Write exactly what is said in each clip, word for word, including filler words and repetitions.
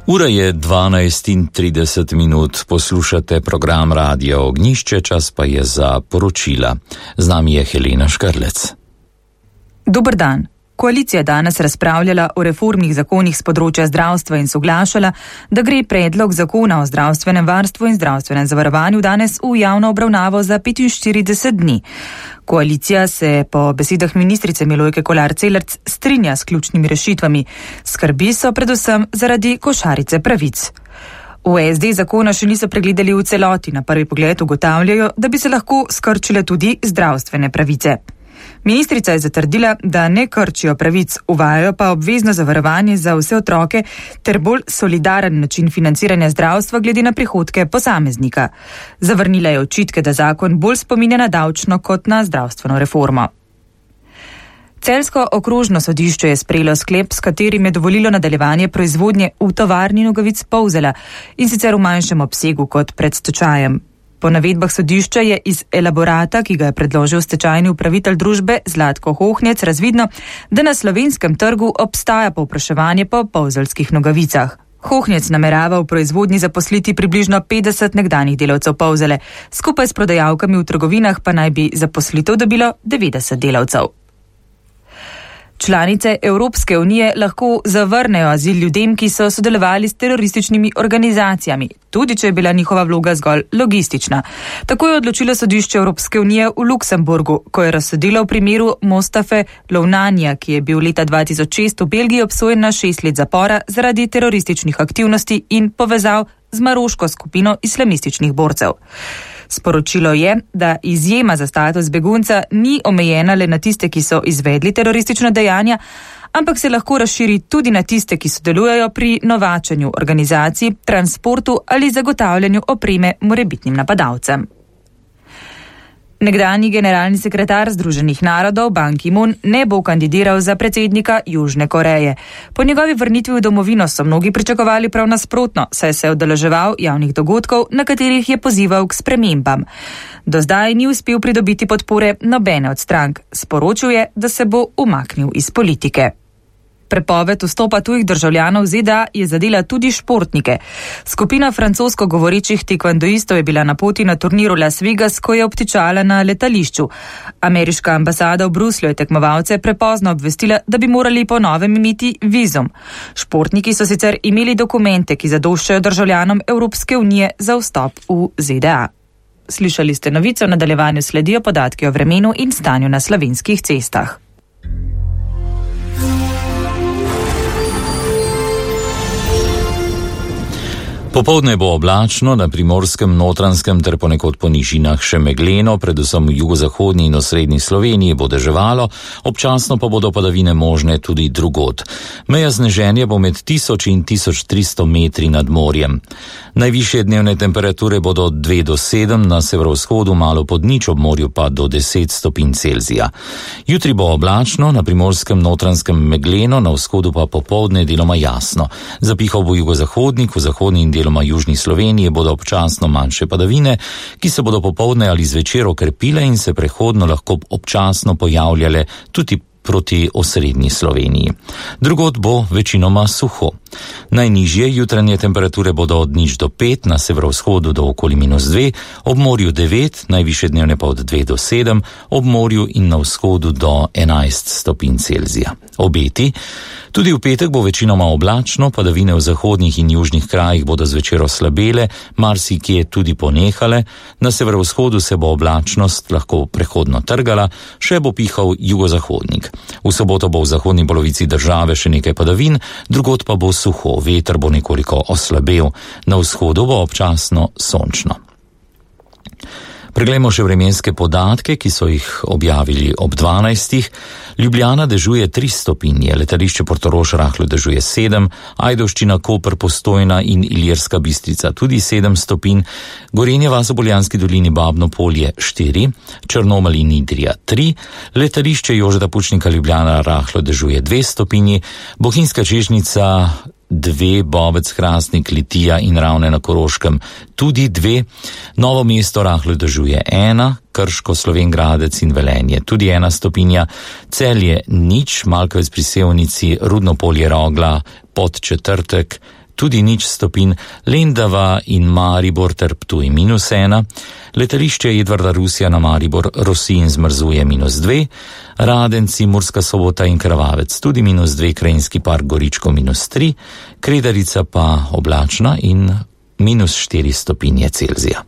Ura je dvanajst in trideset minut, poslušate program Radia Ognjišče, čas pa je za poročila. Z nami je Helena Škrlec. Dober dan. Koalicija danes razpravljala o reformnih zakonih z področja zdravstva in soglašala, da gre predlog zakona o zdravstvenem varstvu in zdravstvenem zavarovanju danes v javno obravnavo za petinštirideset dni. Koalicija se po besedah ministrice Milojke Kolar Celarc strinja s ključnimi rešitvami. Skrbi so predvsem zaradi košarice pravic. V es de zakona še niso pregledali v celoti, na prvi pogled ugotavljajo, da bi se lahko skrčile tudi zdravstvene pravice. Ministrica je zatrdila, da ne krčijo pravic, uvajajo pa obvezno zavarovanje za vse otroke ter bolj solidaren način financiranja zdravstva glede na prihodke posameznika. Zavrnila je očitke, da zakon bolj spominja na davčno kot na zdravstveno reformo. Celjsko okrožno sodišče je sprejelo sklep, s katerim je dovolilo nadaljevanje proizvodnje v tovarni nogavic Polzela in sicer v manjšem obsegu kot pred stečajem. Po navedbah sodišča je iz elaborata, ki ga je predložil stečajni upravitelj družbe Zlatko Hohnjec, razvidno, da na slovenskem trgu obstaja povpraševanje po polzelskih nogavicah. Hohnjec namerava v proizvodnji zaposliti približno petdeset nekdanjih delavcev Polzele, skupaj s prodajalkami v trgovinah pa naj bi zaposlitev dobilo devetdeset delavcev. Članice Evropske unije lahko zavrnejo azil ljudem, ki so sodelovali s terorističnimi organizacijami, tudi če je bila njihova vloga zgolj logistična. Tako je odločilo sodišče Evropske unije v Luksemburgu, ko je razsodilo v primeru Mostafe Lounanja, ki je bil leta dva tisoč šest v Belgiji obsojen na šest let zapora zaradi terorističnih aktivnosti in povezav z maroško skupino islamističnih borcev. Sporočilo je, da izjema za status begunca ni omejena le na tiste, ki so izvedli teroristična dejanja, ampak se lahko razširi tudi na tiste, ki sodelujejo pri novačenju organizacij, transportu ali zagotavljanju opreme morebitnim napadalcem. Nekdanji generalni sekretar Združenih narodov Ban Ki-moon ne bo kandidiral za predsednika Južne Koreje. Po njegovi vrnitvi v domovino so mnogi pričakovali prav nasprotno, saj se je udeleževal javnih dogodkov, na katerih je pozival k spremembam. Do zdaj ni uspel pridobiti podpore nobene od strank. Sporočil je, da se bo umaknil iz politike. Prepoved vstopa tujih državljanov v ZDA je zadela tudi športnike. Skupina francosko govorečih tekvandoistov je bila na poti na turniru Las Vegas, ko je obtičala na letališču. Ameriška ambasada v Bruslju je tekmovalce prepozno obvestila, da bi morali po novem imeti vizum. Športniki so sicer imeli dokumente, ki zadoščajo državljanom Evropske unije za vstop v ZDA. Slišali ste novico, v nadaljevanju sledijo podatki o vremenu in stanju na slovenskih cestah. Popoldne bo oblačno, na primorskem, Notranjskem ter ponekod po nižinah še megleno, predvsem v jugozahodni in osrednji Sloveniji bo deževalo, občasno pa bodo padavine možne tudi drugod. Meja sneženja bo med tisoč in tisoč tristo metri nad morjem. Najvišje dnevne temperature bodo od dve do sedem, na severovzhodu malo pod nič, ob morju pa do deset stopinj Celzija. Jutri bo oblačno, na primorskem, Notranjskem megleno, na vzhodu pa popoldne deloma jasno. Zapihal bo jugozahodnik, v zahodni in deloma južni Sloveniji bodo občasno manjše padavine, ki se bodo popoldne ali zvečer okrepile in se prehodno lahko občasno pojavljale tudi proti osrednji Sloveniji. Drugod bo večinoma suho. Najnižje jutranje temperature bodo od nič do pet, na severovzhodu do okoli minus dve, ob morju devet, najvišje dnevne pa od dve do sedem, ob morju in na vzhodu do enajst stopinj Celzija. Obeti. Tudi v petek bo večinoma oblačno, padavine v zahodnih in južnih krajih bodo zvečer oslabele, marsikje tudi ponehale, na severovzhodu se bo oblačnost lahko prehodno trgala, še bo pihal jugozahodnik. V soboto bo v zahodni polovici države še nekaj padavin, drugod pa bo suho, veter bo nekoliko oslabel, na vzhodu bo občasno sončno. Preglejmo še vremenske podatke, ki so jih objavili ob dvanajstih. Ljubljana dežuje tri stopinje, letališče Portorož rahlo dežuje sedem, Ajdovščina, Koper, Postojna in Ilirska Bistrica tudi sedem stopinj, Gorenje vas v Poljanski dolini, Babno Polje štiri, Črnomelj in Idrija tri, letališče Jožeta Pučnika Ljubljana rahlo dežuje dve stopinji, Bohinjska Čežnica dve, Bobec, Hrastnik, Litija in Ravne na Koroškem tudi dve, Novo mesto rahlo dežuje ena, Krško, Slovenj Gradec in Velenje tudi ena stopinja, Celje nič, Malkovec pri Sevnici, Rudno Polje, Rogla, Podčetrtek, tudi nič stopinj, Lendava in Maribor ter Ptuj minus ena, letališče Edvarda Rusija na Maribor Rosinj zmrzuje minus dve, Radenci, Murska Sobota in Krvavec tudi minus dve, Krajinski park Goričko minus tri, Kredarica pa oblačna in minus štiri stopinje Celzija.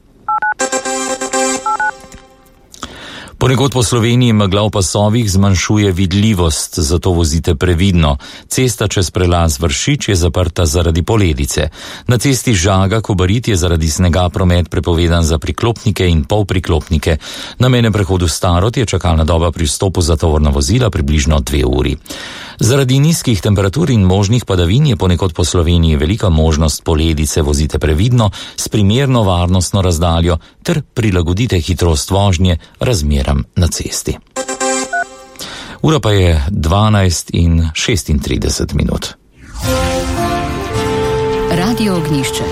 Ponekod po Sloveniji megla v pasovih zmanjšuje vidljivost, zato vozite previdno. Cesta čez prelaz Vršič je zaprta zaradi poledice. Na cesti Žaga-Kobarid je zaradi snega promet prepovedan za priklopnike in polpriklopnike. Na mejnem prehodu Starod je čakalna doba pri vstopu za tovorna vozila približno dve uri. Zaradi nizkih temperatur in možnih padavin je ponekod po Sloveniji velika možnost poledice. Vozite previdno, s primerno varnostno razdaljo ter prilagodite hitrost vožnje razmeram na cesti. Ura pa je dvanajst in šestintrideset minut. Radio Ognjišče.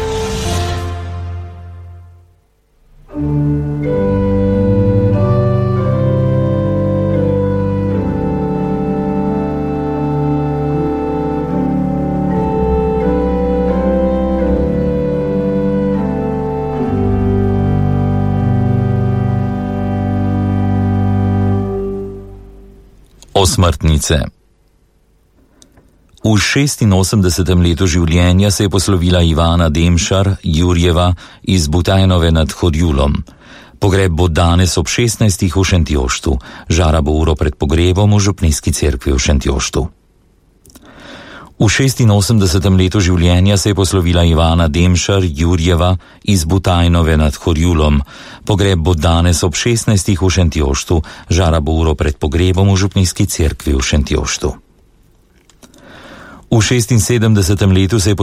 Osmrtnice. V šestinosemdesetem letu življenja se je poslovila Ivana Demšar Jurjeva iz Butajnove nad Horjulom. Pogreb bo danes ob šestnajstih v Šentjoštu. Žara bo uro pred pogrebom v župnijski cerkvi v Šentjoštu. V šestinosemdesetem letu življenja se je poslovila Ivana Demšar Jurjeva iz Butajnove nad Horjulom. Pogreb bo danes ob šestnajstih v Šentjoštu. Žara bo uro pred pogrebom v župnijski cerkvi v Šentjoštu. V šestinsedemdesetem letu se je